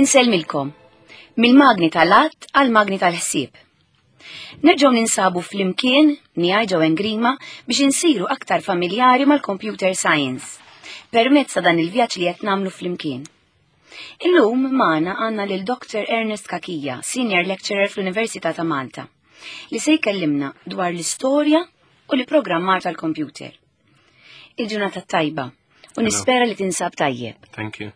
Insellmilkom. Mill-magni tal-att għal-magni tal-ħsieb. Nerġgħu ninsabu flimkien miegħi Joanne Grima biex insiru aktar familjari mal-computer science permezz ta' dan il-vjaġġ li qed nagħmlu flimkien. Illum magħna għandna lil Dr. Ernest Cachia, Senior Lecturer fl-Università ta' Malta, li se jkellimna dwar l-istorja u l-programmar tal-computer. Il-ġurnata tajba u nispera li tinsab tajjeb. Thank you.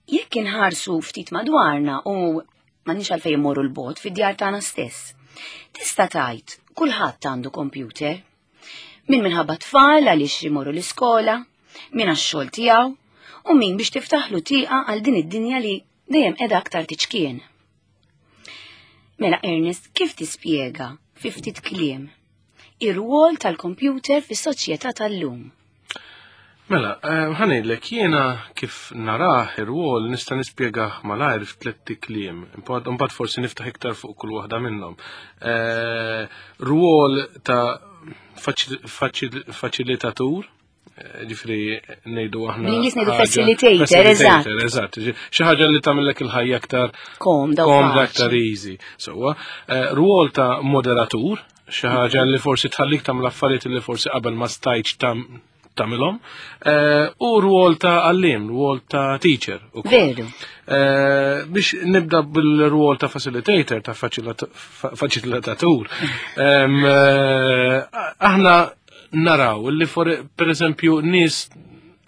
Jekk inħarsu ftit madwarna u m'għandniex għalfejn immorru l-bot fid-djar tagħna stess. Tista' tgħid kulħadd għandu computer. Min minħabba tfal għaliex imorru l-iskola, min għax-xogħol tiegħu u min biex tiftaħlu tieqa għal din id-dinja li dejjem qiegħda aktar tiċkien. Mela Ernest, kif tispjega fi ftit kliem ir-rwol tal-computer fis-soċjetà tal-lum? Mela, eh, ħa ngħidlek jiena kif narah ir-rwol nista' nispjegah malajr f'tliet kliem. Imbagħad forsi niftaħ iktar fuq kull waħda minnhom. Eh, rwol ta' faċilitatur, eh, ġifri ngħidu aħna. Bl-Ingliż ngħidu facilitator, eżatt. Eżatt, xi ħaġa li tagħmellek il-ħajja aktar komda, komda aktar easy. Sewwa, rwol ta' moderatur, xi ħaġa li forsi tħallik tagħmel affarijiet li forsi qabel ma stajtx tagħmilhom, eh, u rwol ta' għallim, rwol ta' teacher. Veru. Eh, biex nibda bil-rwol ta' facilitator, ta' faċilitatur. Eh, aħna naraw li per eżempju nies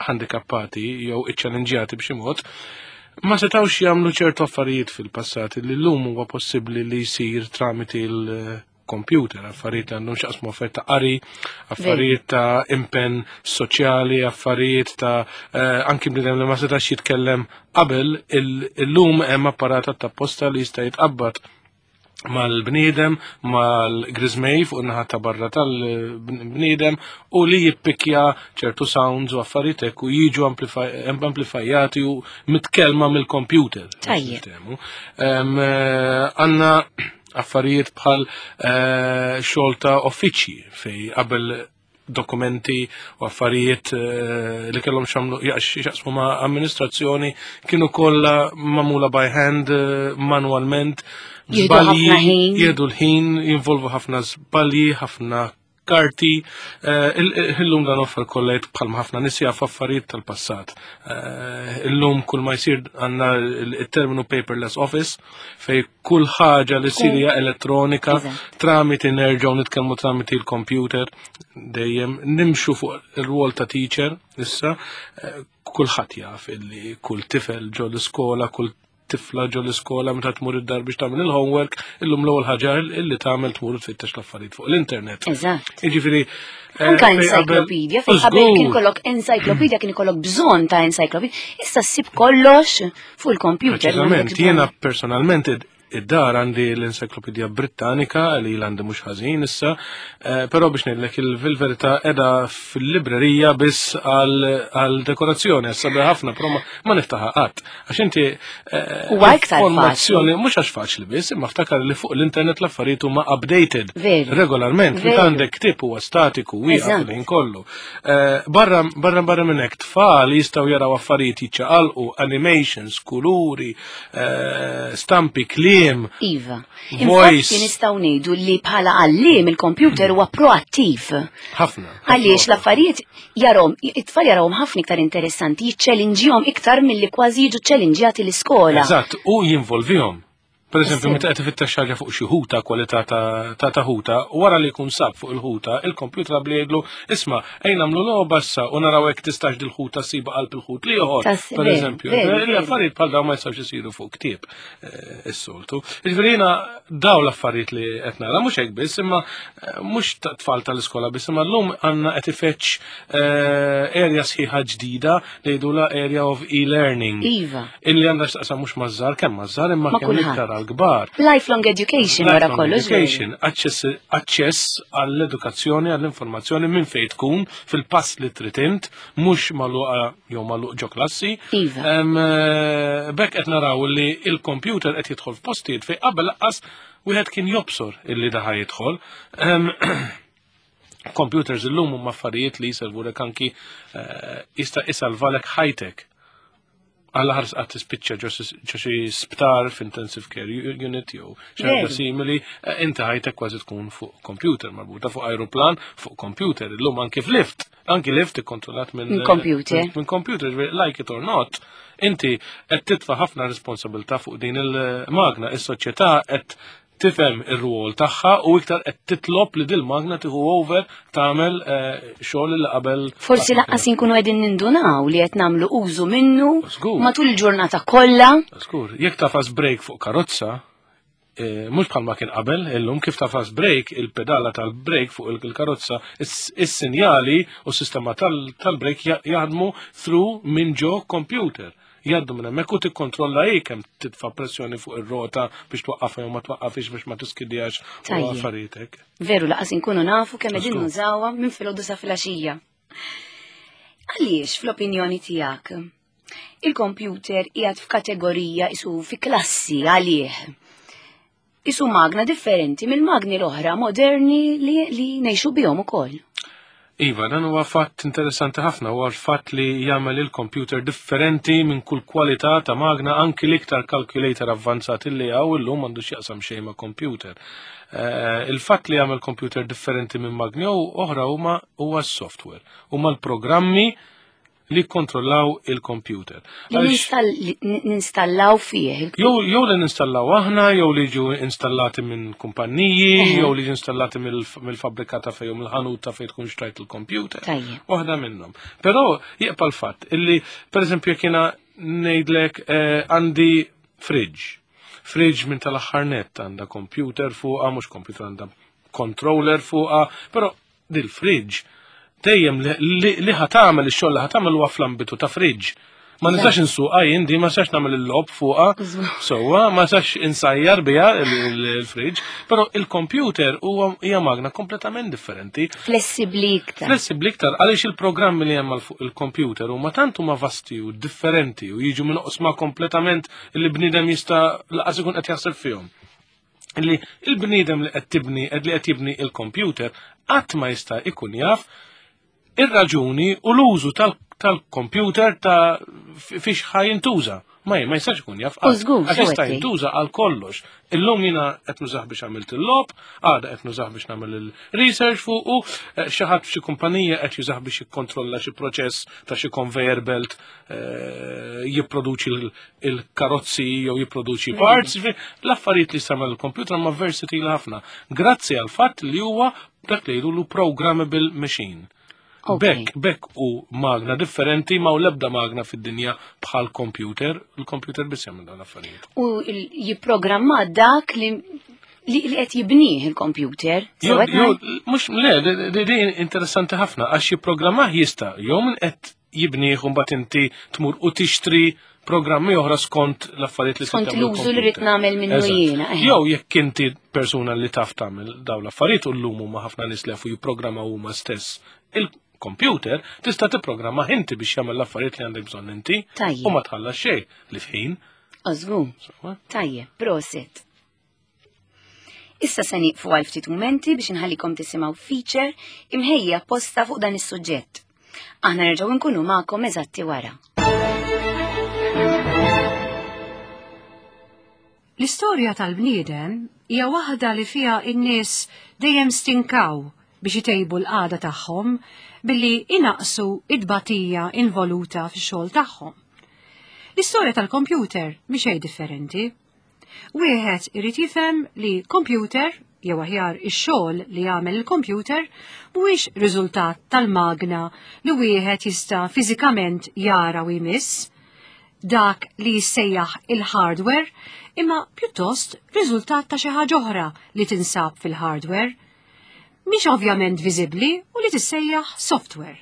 handikappati jew iċċalenġjati b'xi mod, ma setawx jagħmlu ċertu affarijiet fil-passat li llum huwa possibbli li jsir tramiti l computer, affarijiet li għandhom xaqsmu affarijiet ta' qari, affarijiet ta' impenn soċjali, affarijiet ta' eh, anki bniedem li ma setax jitkellem qabel, illum hemm apparat ta' posta li jista' jitqabbad mal-bniedem, mal-grizmej fuq naħa ta' barra tal-bniedem u li jippikja ċertu sounds u affarijiet hekk u jiġu amplifajati u mitkelma mill-computer. Tajjeb. Eh, għanna affarijiet bħal eh, xogħol ta' uffiċċji fej qabel dokumenti u affarijiet eh, li kellhom xamlu jaqsmu ma' amministrazzjoni kienu kollha magħmula by hand eh, manualment. Żbalji, jieħdu l-ħin, jinvolvu ħafna żbalji, ħafna karti, eh, illum dan offar kollejt bħalma ħafna nies jafu affarijiet tal-passat. Eh, illum kull ma jsir għandna il-terminu paperless office fej kull ħaġa li ssir hija elettronika tramiti nerġgħu nitkellmu tramiti l-computer dejjem nimxu fuq ir-rwol ta' teacher issa eh, kulħadd jaf illi kull tifel ġo l-iskola, kull tifla ġo l-iskola meta tmur id-dar biex tagħmel il-homework, illum l-ewwel ħaġa illi tagħmel tmur tfittex l-affarijiet fuq l-internet. Eżatt. Jiġifieri eh, Anka encyclopedia, fejn qabel kien kollok encyclopedia kien ikollok bżonn ta' encyclopedia, issa ssib kollox fuq il-computer. Preċiżament, jiena personalment id-dar għandi l-Encyclopedia Britannica li l-għandi mhux ħażin issa, eh, però biex ngħidlek il-verità qiegħda fil-librerija biss għal dekorazzjoni, sabi ħafna, però ma niftaħa qatt. Għax inti eh, huwa iktar informazzjoni mhux għax faċli biss, imma ftakar li fuq l-internet l-affarijiet huma updated regolarment. Meta għandek ktieb huwa statiku wieqaf il-ħin kollu. Eh, barra barra barra minn hekk tfal jistgħu jaraw affarijiet jiċċaqalqu, animations, kuluri, eh, stampi, kliem. Iva. Infatti nistgħu ngħidu li bħala għalliem il-computer huwa proattiv. Ħafna. Għaliex l-affarijiet jarahom, it-tfal jarawhom ħafna iktar interessanti, jiċċelinġihom iktar milli kważi jiġu ċċelinġjati l-iskola. Eżatt, u jinvolvihom. Per eżempju, meta qed ifittex ħaġa fuq xi ħuta, kwalità ta' ta' ħuta, wara li jkun sab fuq il-ħuta, il-kompjuter bli jgħidlu, isma' ejn nagħmlu logħba issa u naraw hekk tistax dil-ħuta ssiba qalb il-ħut l-ieħor. Per eżempju, l-affarijiet bħal dawn ma jistgħux isiru fuq ktieb eh, is-soltu. Jiġifieri jiena daw l-affarijiet li qed nara mhux hekk biss, imma eh, mhux tfal tal-iskola biss, imma llum għandna qed ifetx eh, area sħiħa ġdida li jgħidulha area of e-learning. Iva. Illi għandha x'taqsam mhux maż-żgħar kemm maż-żgħar imma kemm iktar għall-kbar. Lifelong education wara kollox. Education, aċċess għall-edukazzjoni, għall-informazzjoni minn fejn tkun fil-pass li trid int, mhux magħluqa jew magħluq ġo klassi. Iva. Eh, bekk qed naraw li il-computer qed jidħol f'postijiet fejn qabel laqqas wieħed kien jobsor illi daħa jidħol. Computers illum huma affarijiet li jiservulek anki eh, jista' isalvalek ħajtek. Għalla ħars qatt tispiċċa ġo xi sptar f'intensive care unit jew xi ħaġa simili, eh, inti ħajtek kważi tkun fuq computer marbuta fuq aeroplan, fuq computer, illum anki f'lift, anki lift ikkontrollat minn computer. Minn computer, like it or not, inti qed titfa' ħafna responsabilità fuq din il-magna, is-soċjetà qed tifhem ir-rwol tagħha u iktar qed titlob li dil-magna tieħu over tagħmel eh, xogħol li qabel. Forsi laqqas inkunu qegħdin nindunaw li qed nagħmlu użu minnu matul il-ġurnata kollha. Żgur, jekk tafas break fuq karozza, eh, mhux bħalma kien qabel, illum kif tafas break, il-pedala tal-break fuq il-karozza, is-sinjali u s-sistema tal-break jaħdmu through minn ġo computer jgħaddu minn hemmhekk u tikkontrolla hi kemm titfa' pressjoni fuq ir-rota biex twaqqafha jew ma twaqqafix biex ma tiskidjax u affarijiet hekk. Veru laqas inkunu nafu kemm qegħdin nużawha minn filgħodu sa filgħaxija. Għaliex fl-opinjoni tiegħek il-kompjuter qiegħed f'kategorija isu fi klassi għalih. Isu magna differenti mill-magni l-oħra moderni li, li ngħixu bihom ukoll. Iva, dan huwa fatt interessanti ħafna, huwa l-fatt li jagħmel il-computer differenti minn kull kwalità ta' magna anki l-iktar calculator avvanzat li hawn illum għandu x'jaqsam xejn ma' computer. Eh, il-fatt li jagħmel computer differenti minn magni oħra huma huwa s-software, huma l-programmi li jikkontrollaw il-computer. Li ninstallaw fih. Jew li ninstallaw aħna, jew li ġu installati minn kumpanniji, jew li ġu installati mill-fabbrika ta' fejn mill-ħanut ta' fejn tkun xtrajt il-computer. Waħda minnhom. Però jibqa' l-fatt illi pereżempju jekk jiena ngħidlek eh, għandi fridge. Fridge minn tal-aħħar net għandha computer fuqha, mhux computer għandha controller fuqha, però dil-fridge dejjem li ħatamel ix-xogħol li ħatamel huwa fl-ambitu ta' fridge. Ma nistax insuqha jien di, ma nistax nagħmel il-lob fuqha, sewwa, ma nistax insajjar biha il-fridge, però il-computer huwa hija magna kompletament differenti. Flessibbli iktar. Flessibbli iktar għaliex il-programmi li hemm fuq il-computer huma tant huma vasti u differenti u jiġu minn oqsma kompletament li bniedem jista' laqas ikun qed jaħseb fihom. li il-bniedem li qed tibni li qed jibni il-computer qatt ma jista' ikun jaf ir-raġuni u l-użu tal-computer ta' fiex ħa jintuża. Ma ma jistax ikun jaf. Għax jista' jintuża għal kollox. Illum jiena qed nużah biex għamilt il-lob, għada qed nużah biex nagħmel il-research fuq u eh, xi ħadd f'xi kumpanija qed jużah biex jikkontrolla xi proċess ta' xi conveyor belt eh, jipproduċi il-karozzi jew jipproduċi parts, l-affarijiet li samel il-computer ma versatile ħafna. Grazzi għal fatt li huwa dak li jgħidulu programmable machine. Bekk, bekk u magna differenti ma u lebda magna fid-dinja bħal computer, il-computer biss jagħmel dawn l-affarijiet. U jipprogramma dak li li qed jibnih il-computer. Mhux le, din interessanti ħafna għax jipprogrammah jista' jew min qed jibnih u mbagħad inti tmur u tixtri programmi oħra skont l-affarijiet li skont l-użu li rrid nagħmel minnu jiena. Eh. Jew jekk inti persuna li taf tagħmel dawn l-affarijiet u llum huma ħafna nies li jafu jipprogrammaw huma stess il-computer, tista' tipprogramma inti biex jagħmel l-affarijiet li għandek bżonn inti u ma tħallas xejn li f'ħin. Ożgu. Tajjeb, prosit. Issa se nieqfu għal ftit mumenti biex inħallikom tisimgħu feature imħejja apposta fuq dan is-suġġett. Aħna nerġgħu nkunu magħkom eżatti wara. L-istorja tal-bniedem hija waħda li fiha n-nies dejjem stinkaw biex itejbu l-qagħda tagħhom billi inaqsu id-batija involuta fix-xogħol tagħhom. L-istorja tal-kompjuter mhi xejn differenti. Wieħed irid jifhem li kompjuter, jew aħjar ix-xogħol li jagħmel il-kompjuter, mhuwiex riżultat tal-magna li wieħed jista' fiżikament jara u jmiss, dak li jissejjaħ il-hardware, imma pjuttost riżultat ta' xi ħaġa oħra li tinsab fil-hardware. Mhix ovvjament viżibbli u li tissejjaħ software.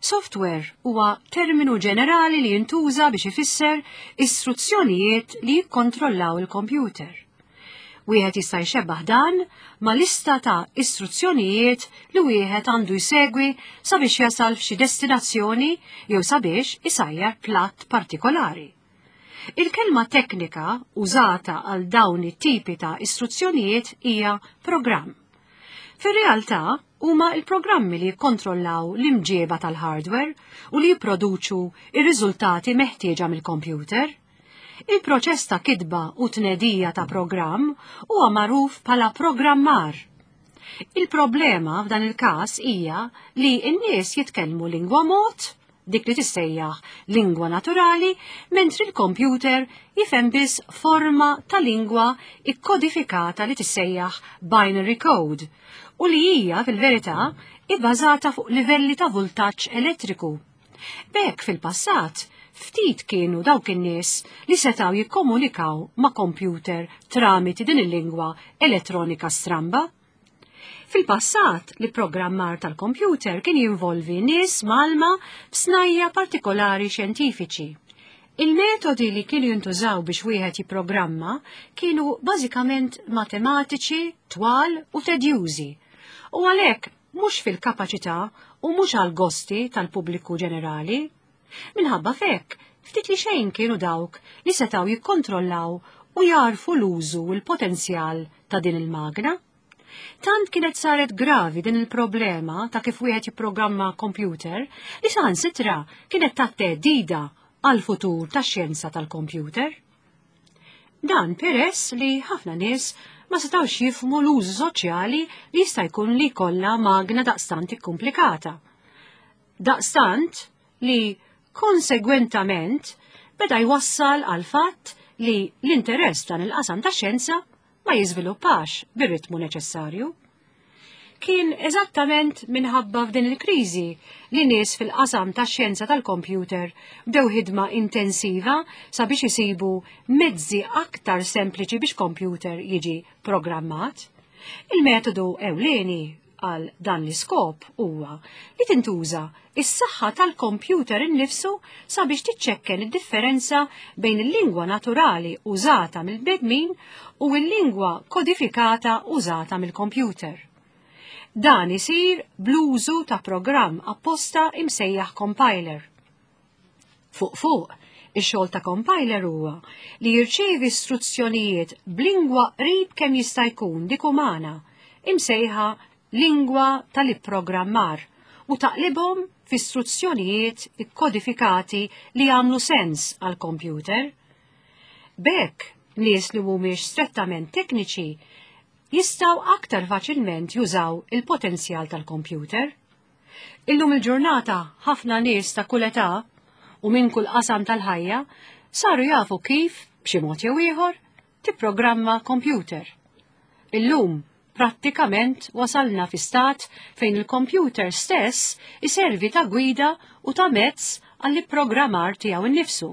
Software huwa terminu ġenerali li jintuża biex ifisser istruzzjonijiet li jikkontrollaw il-kompjuter. Wieħed jista' jxebbaħ dan ma' lista ta' istruzzjonijiet li wieħed għandu jsegwi sabiex jasal f'xi destinazzjoni jew sabiex isajjar platt partikolari. Il-kelma teknika użata għal dawn it-tipi ta' istruzzjonijiet hija programm. Fir-realtà, huma l-programmi li jikkontrollaw l-imġieba tal-hardware u li jipproduċu ir-riżultati meħtieġa mill-kompjuter. Il-proċess ta' kitba u tnedija ta' programm huwa magħruf bħala programmar. Il-problema f'dan il-każ hija li n-nies jitkellmu lingwa mod, dik li tissejjaħ lingwa naturali, mentri l-kompjuter jifhem biss forma ta' lingwa ikkodifikata li tissejjaħ binary code u li hija fil-verità ibbażata fuq livelli ta' vultaġġ elettriku. B'hekk fil-passat, ftit kienu dawk in-nies li setgħu jikkomunikaw ma' kompjuter tramiti din il-lingwa elettronika stramba. Fil-passat, l-ipprogrammar tal-kompjuter kien jinvolvi nies mgħallma f'snajja partikolari xjentifiċi. Il-metodi li kienu jintużaw biex wieħed jipprogramma kienu bażikament matematiċi, twal u tedjużi, u għalhekk mhux fil-kapaċità u mhux għall-gosti tal-pubbliku ġenerali. Minħabba f'hekk, ftit li xejn kienu dawk li setgħu jikkontrollaw u jagħrfu l-użu u l-potenzjal ta' din il-magna. Tant kienet saret gravi din il-problema ta' kif wieħed jipprogramma kompjuter li saħansitra kienet ta' theddida għall-futur tax-xjenza tal-kompjuter. Dan peress li ħafna nies ma setgħux jifhmu l-użu soċjali li jista' jkun li jkollha magna daqstant ikkumplikata. Daqstant li konsegwentament beda jwassal għal fatt li l-interess dan il-qasam ta' xjenza ma jiżviluppax bir-ritmu neċessarju. Kien eżattament minħabba f'din il-kriżi li nies fil-qasam tax-xjenza tal-kompjuter bdew ħidma intensiva sabiex isibu mezzi aktar sempliċi biex kompjuter jiġi programmat. Il-metodu ewlieni għal dan l-iskop huwa li tintuża is-saħħa tal-kompjuter innifsu sabiex tiċċekken id-differenza bejn il-lingwa naturali użata mill-bnedmin u l-lingwa kodifikata użata mill-kompjuter. Dan isir bl-użu ta' programm apposta imsejjaħ compiler. Fuq fuq, ix-xogħol ta' compiler huwa li jirċievi istruzzjonijiet b'lingwa qrib kemm jista' jkun dik umana, imsejħa lingwa tal-ipprogrammar, u taqlibhom fi istruzzjonijiet ikkodifikati li jagħmlu sens għall-kompjuter. B'hekk, nies li mhumiex strettament tekniċi jistgħu aktar faċilment jużaw il-potenzjal tal-kompjuter. Illum il-ġurnata ħafna nies ta' kull età u minn kull qasam tal-ħajja saru jafu kif, b'xi mod jew ieħor, tipprogramma kompjuter. Illum prattikament wasalna fi stat fejn il-kompjuter stess iservi ta' gwida u ta' mezz għall-ipprogrammar tiegħu nnifsu.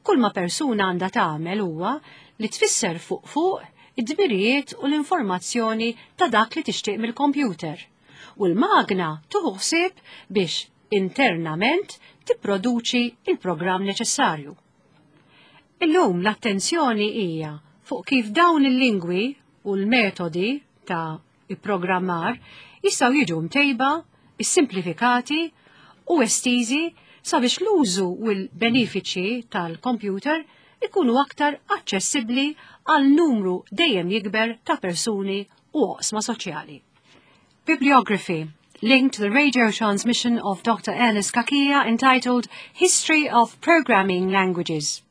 Kull ma persuna għandha tagħmel huwa li tfisser fuq fuq id-dmirijiet u l-informazzjoni ta' dak li tixtieq mill-kompjuter. U l-magna tuħu ħsieb biex internament tipproduċi il-programm neċessarju. Illum l-attenzjoni hija fuq kif dawn il-lingwi u l-metodi ta' ipprogrammar jistgħu jiġu mtejba, issimplifikati u estiżi sabiex l-użu u l-benefiċċji tal-kompjuter ikunu aktar aċċessibbli għal numru dejjem jikber ta' persuni u oqsma soċjali. Bibliography linked to the radio transmission of Dr. Ernest Cachia entitled History of Programming Languages.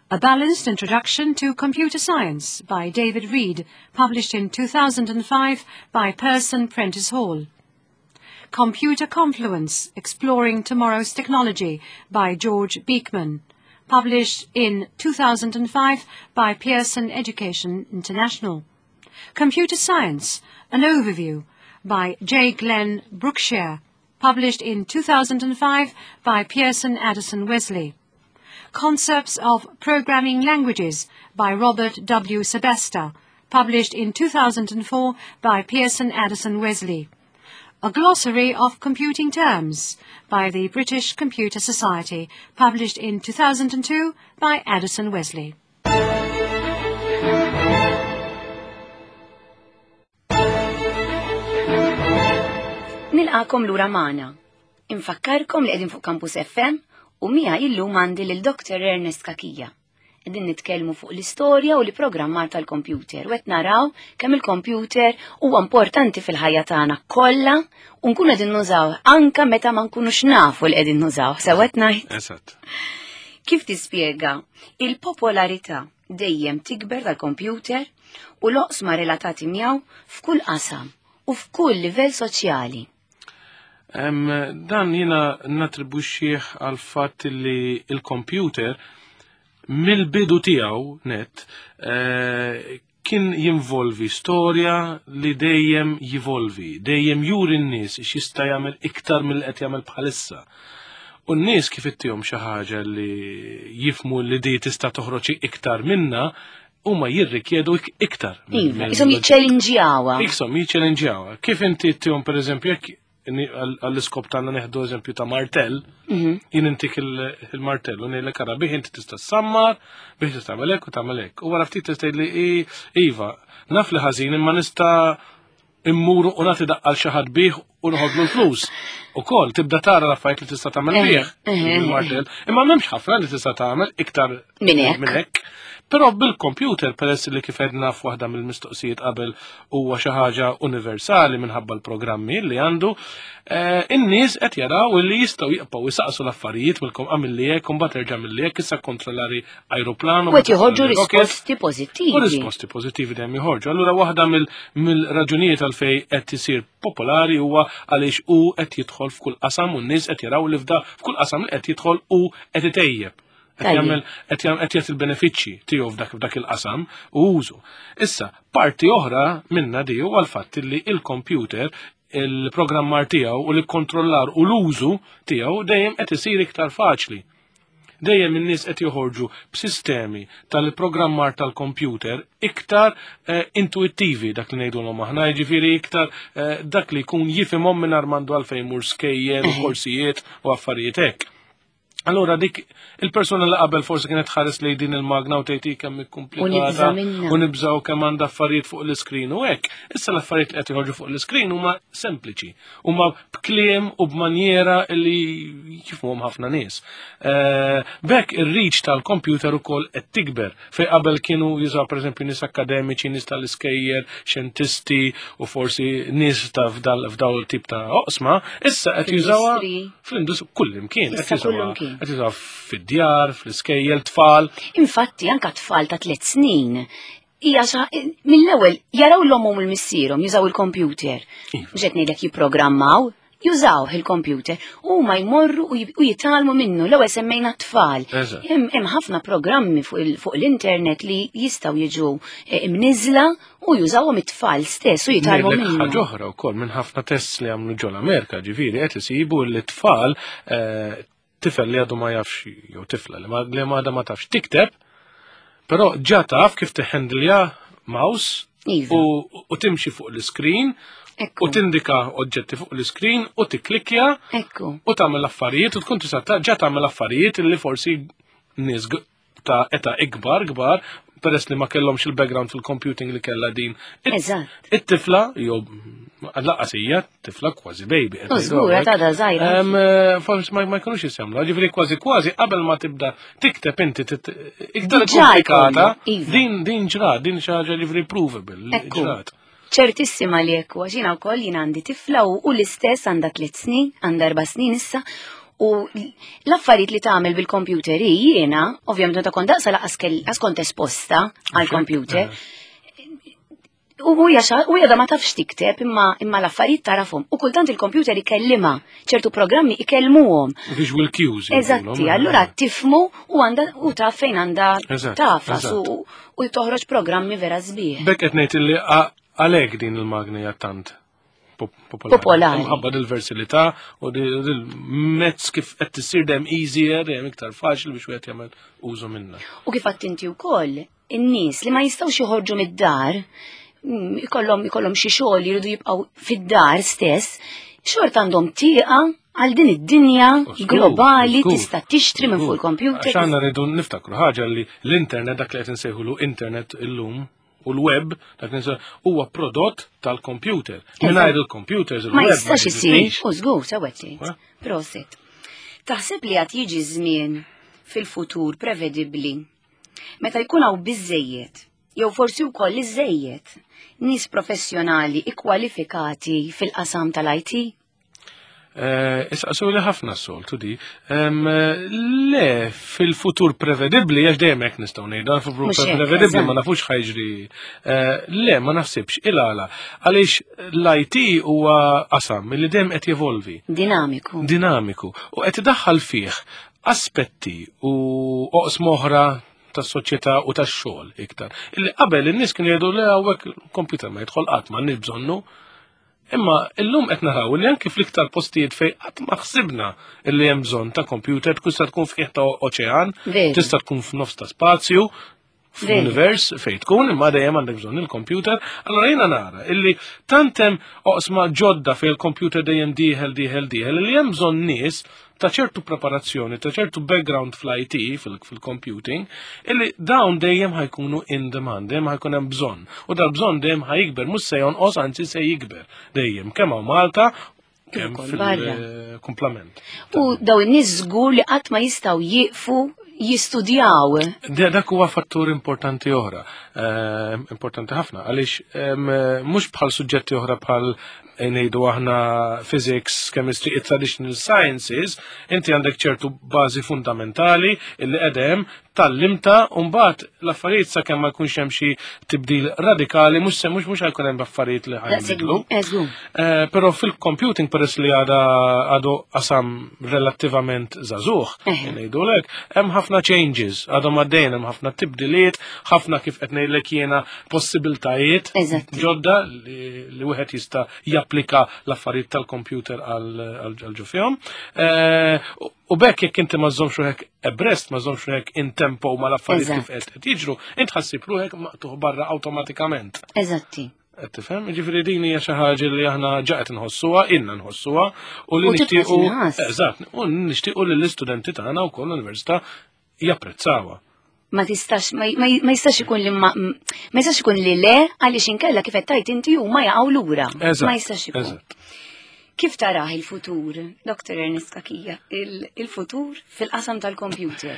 A Balanced Introduction to Computer Science by David Reed, published in 2005 by Pearson Prentice Hall. Computer Confluence, Exploring Tomorrow's Technology by George Beekman, published in 2005 by Pearson Education International. Computer Science, An Overview by J. Glenn Brookshire, published in 2005 by Pearson Addison Wesley. Concepts of Programming Languages by Robert W. Sebesta, published in 2004 by Pearson Addison Wesley. A Glossary of Computing Terms by the British Computer Society, published in 2002 by Addison Wesley. Nilqakom lura magħna. Infakkarkom li qegħdin fuq Campus FM u mija illum għandi lil Dr. Ernest Cachia. Qegħdin nitkellmu fuq l-istorja u l-programmar tal-kompjuter u qed naraw kemm il-kompjuter huwa importanti fil-ħajja tagħna kollha u nkunu qegħdin nużaw anka meta ma nkunux nafu li qegħdin nużaw. Sew qed ngħid? Eżatt. Kif tispjega il-popolarità dejjem tikber tal-kompjuter u l-oqsma relatati miegħu f'kull qasam u f'kull livell soċjali? Dan jiena natribwixxih għal fatt li il-kompjuter mill-bidu tiegħu net eh, kien jinvolvi storja li dejjem jivolvi, dejjem juri n-nies x'jista' jagħmel iktar mill qed jagħmel bħalissa. U n-nies kif ittihom xi ħaġa li jifmu li di tista' toħroġ iktar minna, huma jirrikjedu iktar. Iva, isom jiċċellinġjawha. Isom jiċċellinġjawha. Kif inti tihom pereżempju jekk għall-iskop tagħna neħdu eżempju ta' martell, mhm. jien intik il-martell u ngħidlek ara bih inti tista' sammar, bih tista' tagħmel hekk u tagħmel hekk. U wara ftit tista' tgħidli iva, naf li ħażin imma nista' immur u nagħti daqqa l xi ħadd bih u nħodlu l-flus. Ukoll tibda tara l-affarijiet li tista' tagħmel eh, bih eh, eh, il-martell. Imma m'hemmx ħafna li tista' tagħmel iktar minn hekk. Però bil-computer peress li kif edna f'waħda mill-mistoqsijiet qabel huwa xi ħaġa universali minħabba l-programmi li għandu, eh, in-nies qed jaraw li jistgħu jibqgħu jisaqsu l-affarijiet mill-kom għamil li hekk, imbagħad erġa' mill hekk, issa kontrollari ajruplan. U qed joħorġu risposti pożittivi. U risposti pożittivi dejjem joħorġu. Allura waħda mill-raġunijiet għalfej qed isir popolari huwa għaliex hu qed jidħol f'kull qasam u n-nies qed jaraw li f'da f'kull qasam li qed jidħol u qed itejjeb. Qed jagħmel qed jagħti il-benefiċċji tiegħu f'dak f'dak il-qasam u użu. Issa, parti oħra minna di huwa l-fatt li il-computer il-programmar tiegħu u l-kontrollar u l-użu tiegħu dejjem qed isir iktar faċli. Dejjem in-nies qed joħorġu b'sistemi tal-programmar tal-computer iktar eh, intuittivi dak li ngħidulhom aħna, jiġifieri iktar eh, dak li jkun jifhimhom mingħajr m'għandu għalfejn mur skejjel u korsijiet u affarijiet hekk. Allura dik il-persuna li qabel forsi kienet ħares li din il-magna u tgħid kemm ikkumplikata u nibżgħu kemm għandha affarijiet fuq l-iskrin u hekk. Issa l-affarijiet li qed joħorġu fuq l-iskrin huma sempliċi, huma b'kliem u b'manjera li jifhmuhom ħafna nies. Eh, Bekk ir-reach tal-computer ukoll qed tikber Fej qabel kienu jużaw pereżempju nies akademiċi, nies tal-iskejjer, xjentisti u forsi nies ta' f'daw tip ta' oqsma, issa qed jużawha fl-industri kull imkien, qed jużawha fid-djar, fl-iskejjel, tfal. Infatti anka tfal ta' tliet snin hija mill-ewwel jaraw l-omhom u l-missierhom jużaw il-kompjuter. Iva. Mhux qed ngħidlek jipprogrammaw, jużawh il-kompjuter u ma jmorru u jitgħallmu minnu l-ewwel semmejna tfal. Hemm ħafna programmi fuq l-internet li jistgħu jiġu eh, imniżla u jużawhom it-tfal stess u jitgħallmu minnu. Ħaġa oħra wkoll minn ħafna tests li għamlu ġol Amerika ġifieri qed isibu li tfal eh, tifel li għadu ma jafx jew tifla li ma għadha ma tafx tikteb, però ġa taf kif tiħendilja mouse iva. u timxi fuq l-iskrin u tindika oġġetti fuq l-iskrin u tikklikja u tagħmel affarijiet u tkun tista' ġa tagħmel affarijiet li forsi nies ta' eta ikbar kbar peress li ma kellhomx il-background fil-computing li kellha din. Eżatt. It-tifla, jew laqas hija tifla kważi baby. Żgur, għadha żgħira. Eh, forsi ma jkunux jisemlu, ġifieri kważi kważi qabel ma tibda tikteb inti iktar komplikata, iva. din din ġrat, din xi ħaġa ġifieri provable. Ġrat. Ċertissima li hekk għax jiena wkoll jien għandi tifla u l-istess għandha tliet snin, għandha erba' snin issa, u l-affarijiet li tagħmel bil-kompjuter hi jiena, ovvjament meta kont daqsa laqas kont esposta għall-kompjuter. U hija u hija ma tafx tikteb imma imma l-affarijiet tarafhom. U kultant il-kompjuter ikellima, ċertu programmi ikellmuhom. Visual cues. Eżatti, allura tifmu u għandha u taf fejn għandha tafas u u toħroġ programmi vera sbieħ. Bekk qed ngħid li għalhekk din il-magna hija tant popolari. Popolari. Mħabba dil-versilità u dil-mezz kif qed tisir dejjem easier, dejjem iktar faċli biex wieħed jagħmel użu minnha. U kif għadt inti wkoll, in-nies li ma jistgħux joħorġu mid-dar, mm, ikollhom ikollhom xi xogħol jridu jibqgħu fid-dar stess, xorta għandhom tieqa għal din id-dinja globali tista' tixtri minn fuq il-computer. Għax għandna rridu niftakru ħaġa li l-internet dak li qed insejħulu internet illum u l-web dak li huwa prodott tal-computer. Mingħajr il-computers il-web. Ma jistax isir, u żgur sewwa Prosit. Taħseb li għad jiġi żmien fil-futur prevedibbli. Meta jkun hawn biżejjed, jew forsi wkoll iżejjed, nies professjonali ikkwalifikati fil-qasam tal-IT? Eh, Isqasu li ħafna s-soltu di. Le, fil-futur prevedibli, għax dejjem hekk nistgħu ngħidu, fil-futur prevedibli ma nafux ħajġri. Eh, le, ma naħsibx, il-għala. Għaliex l-IT huwa qasam li dejjem qed jevolvi. Dinamiku. Dinamiku. U qed idaħħal fih aspetti u oqsma oħra tas-soċjetà u tax-xogħol iktar. Illi qabel in-nies kienu jgħidu le hawnhekk computer ma jidħol qatt m'għandniex bżonnu. Imma illum qed naraw li anki fl-iktar postijiet fejn qatt ma ħsibna li hemm bżonn ta' computer tkun tista' tkun f'qiegħ ta' oċean, tista' tkun f'nofs ta' spazju, f'univers fejn tkun, imma dejjem għandek bżonn il-computer. Allora jiena nara illi tant hemm oqsma ġodda fejn il-computer dejjem dieħel dieħel dieħel li hemm bżonn nies ta' ċertu preparazzjoni, ta' ċertu background fl-IT, fil-computing, illi dawn dejjem ħajkunu in demand, dejjem ħajkun hemm bżonn. U dal-bżonn dejjem ħajikber, mhux se jonqos, anzi se jikber dejjem, kemm hawn Malta, kemm fil-kumplament. U daw in-nies żgur li qatt ma jistgħu jieqfu jistudjaw. Dak huwa fattur importanti oħra, eh, importanti ħafna, għaliex mhux bħal suġġetti oħra bħal eh, ngħidu aħna physics, chemistry, traditional sciences, inti għandek ċertu bażi fundamentali illi qedem tal-limta u mbagħad l-affarijiet sakemm ma jkunx hemm xi tibdil radikali mhux se mhux mhux ħajkun hemm affarijiet li ħajbidlu. Eh, però fil-computing peress li għada għadu qasam relattivament żagħżugħ, ngħidulek, hemm ħafna changes, għadhom għaddejn hemm ħafna tibdiliet, ħafna kif qed ngħidlek jiena possibiltajiet ġodda li wieħed jista' japplika l-affarijiet tal-computer għal ġo fihom. Eh, u bekk jekk inti ma żommx ruħek abreast, ma żommx ruħek in tempo ma l-affarijiet kif qed jiġru, int ħassib ruħek maqtuħ barra awtomatikament. Eżatti. Qed tifhem? Ġifieri din hija xi ħaġa li aħna ġa qed nħossuha, ilna nħossuha u li nixtiequ. Eżatt, u nixtiequ li l-istudenti tagħna wkoll l-università japprezzawha. Ma tistax, ma jistax ikun li ma, ma jistax ikun li le għaliex inkella kif qed tgħid inti huma jaqgħu lura. Ma jistax ikun. Kif tarah il-futur, Dr. Ernest Kakija, il-futur fil-qasam tal-computer?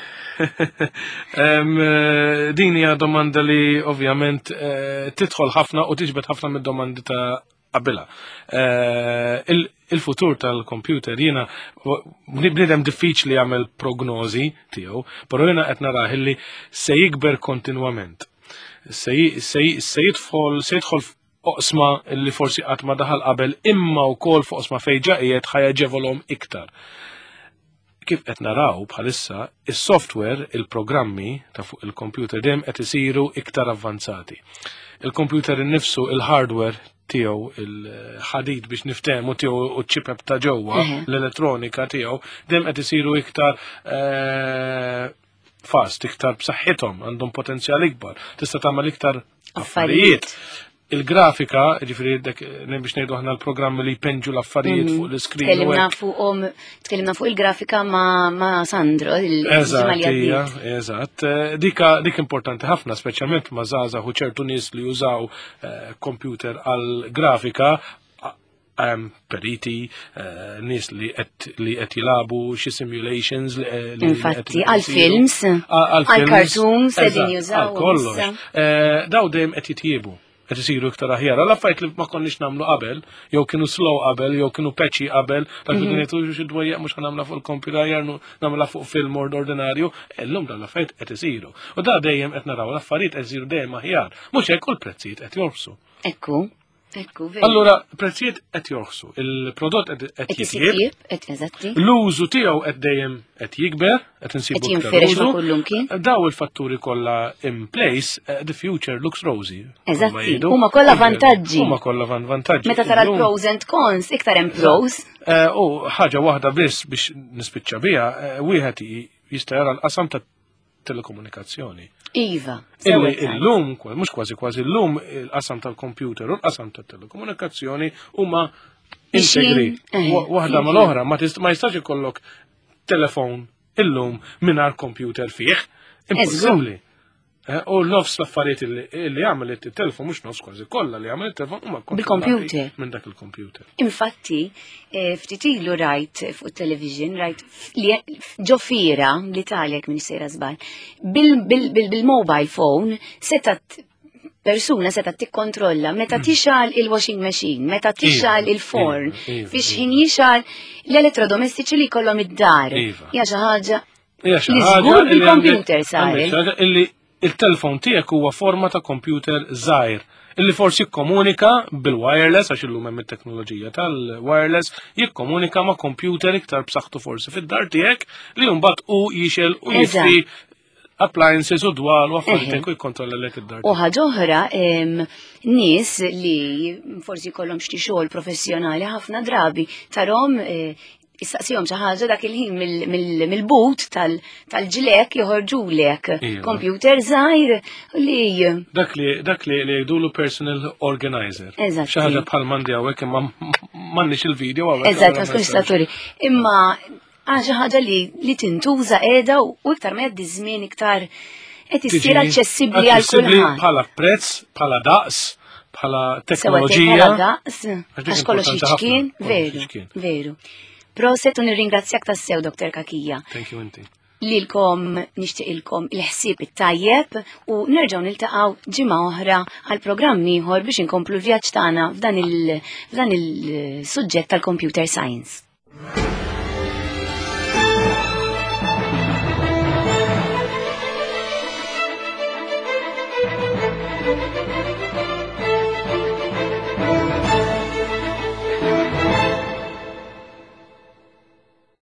Eh, din hija domanda li ovvjament eh, tidħol ħafna u tiġbed ħafna mid-domandi ta' qabilha. Eh, il-futur tal-computer jiena bniedem diffiċli jagħmel prognożi tiegħu, però jiena qed narah li se jikber kontinwament. Se jidħol se jidħol oqsma li forsi qatt ma daħal qabel imma wkoll fuq oqsma fejn ġa qiegħed ħajaġevolhom iktar. Kif qed naraw bħalissa, is-software, il-programmi ta' fuq il-computer dejjem qed isiru iktar avvanzati. Il-computer innifsu, il-hardware tiegħu, il-ħadid biex niftehmu tiegħu u ċ-ċipep ta' ġewwa, l-elettronika tiegħu, dejjem qed isiru iktar eh, fast, iktar b'saħħithom, għandhom potenzjal ikbar, tista' tagħmel iktar affarijiet. Il-grafika, ġifieri dek biex ngħidu aħna l-programmi li jpenġu l-affarijiet mhm. fuq l-iskrin. Tkellimna fuqhom, tkellimna fuq il-grafika ma, ma Sandro, il-ġimgħa li Eżatt, eh, dika dik importanti ħafna, speċjalment ma' żgħażagħ u ċertu nies li jużaw eh, computer għal grafika hemm periti, eh, nies li qed li qed jilagħbu xi simulations li eh, Infatti, għal-films, għal-cartoons qegħdin jużaw. Kollox. Eh, daw dejjem qed jitjiebu qed isiru iktar aħjar. Għal affarijiet li ma konniex nagħmlu qabel, jew kienu slow qabel, jew kienu patchy qabel, dak li mhm. kienu xi dwejjaq mhux ħanamla fuq il-computer aħjar nagħmilha fuq film ordinarju, illum dan l-affarijiet qed isiru. U da dejjem qed naraw l-affarijiet qed isiru dejjem aħjar. Mhux hekk u l-prezzijiet qed jorsu. Ekku. Ekku, veru. Allura, prezzijiet qed jorħsu, il-prodott qed jitjieb, l-użu tiegħu qed dejjem qed jikber, qed insibu qed jinfirex ma' kullimkien. Daw il-fatturi kollha in place, eh, the future looks rosy. Eżatti, huma kollha vantaġġi. Huma kollha vantaġġi. Meta tara l-pros and cons, iktar hemm pros. Eh, u ħaġa waħda biss biex nispiċċa biha, eh, wieħed jista' jara l-qasam ta' telekomunikazzjoni. Iva. Illi illum, mhux kważi kważi illum il-qasam tal-computer u l-qasam tat-telekomunikazzjoni huma integri. Eh, waħda mal-oħra, ma jistax ikollok telefon illum mingħajr computer fih. Impossibbli. Eh, u nofs l-affarijiet li għamel it-telefon, mhux nofs kważi kollha li għamel it-telefon huma bil-computer. Minn dak il-computer. Infatti, eh, ftit ilu rajt fuq television, rajt li ġo fiera l-Italja minn sejra żball, bil-mobile phone setat persuna seta tikkontrolla meta mm. tixal il-washing machine, meta iva, tixal il-forn, iva, iva, fiex ħin jixal l-elettrodomestiċi li kollhom id-dar. Ja xi ħaġa Hija xi ħaġa bil-computer sar. Illi il-telefon tiegħek huwa forma ta' computer żgħir illi forsi jikkomunika bil-wireless għax illum hemm it-teknoloġija tal-wireless jikkomunika ma' computer iktar b'saħħtu forsi fid-dar tiegħek li mbagħad hu jixel u jifti appliances u dwal u affarijiet u jikkontrolla lek id-dar. U ħaġa oħra, nies li forsi jkollhom xi xogħol professjonali ħafna drabi tarhom eh, issaqsihom xi ħaġa dak il-ħin mill-but tal-ġlek joħorġulek iva. computer żgħir li dak li dak li li jgħidulu personal organizer. Eżatt. Xi ħaġa bħal m'għandi hawnhekk imma m'għandniex il-video hawnhekk. Eżatt, ma tkunx saturi. Imma għal xi ħaġa li li tintuża qiegħda u iktar ma jgħaddi żmien iktar qed issir aċċessibbli għal kulħadd. Bħala prezz, bħala daqs, bħala teknoloġija. Bħala daqs, għax kollox jiċkien, veru, veru. Proset u nirringrazzjak tassew, Dr. Kakija. Thank you inti. Lilkom nixtieqilkom il-ħsieb it-tajjeb u nerġgħu niltaqgħu ġimgħa oħra għal programm ieħor biex inkomplu l-vjaġġ tagħna f'dan il-suġġett tal-computer science.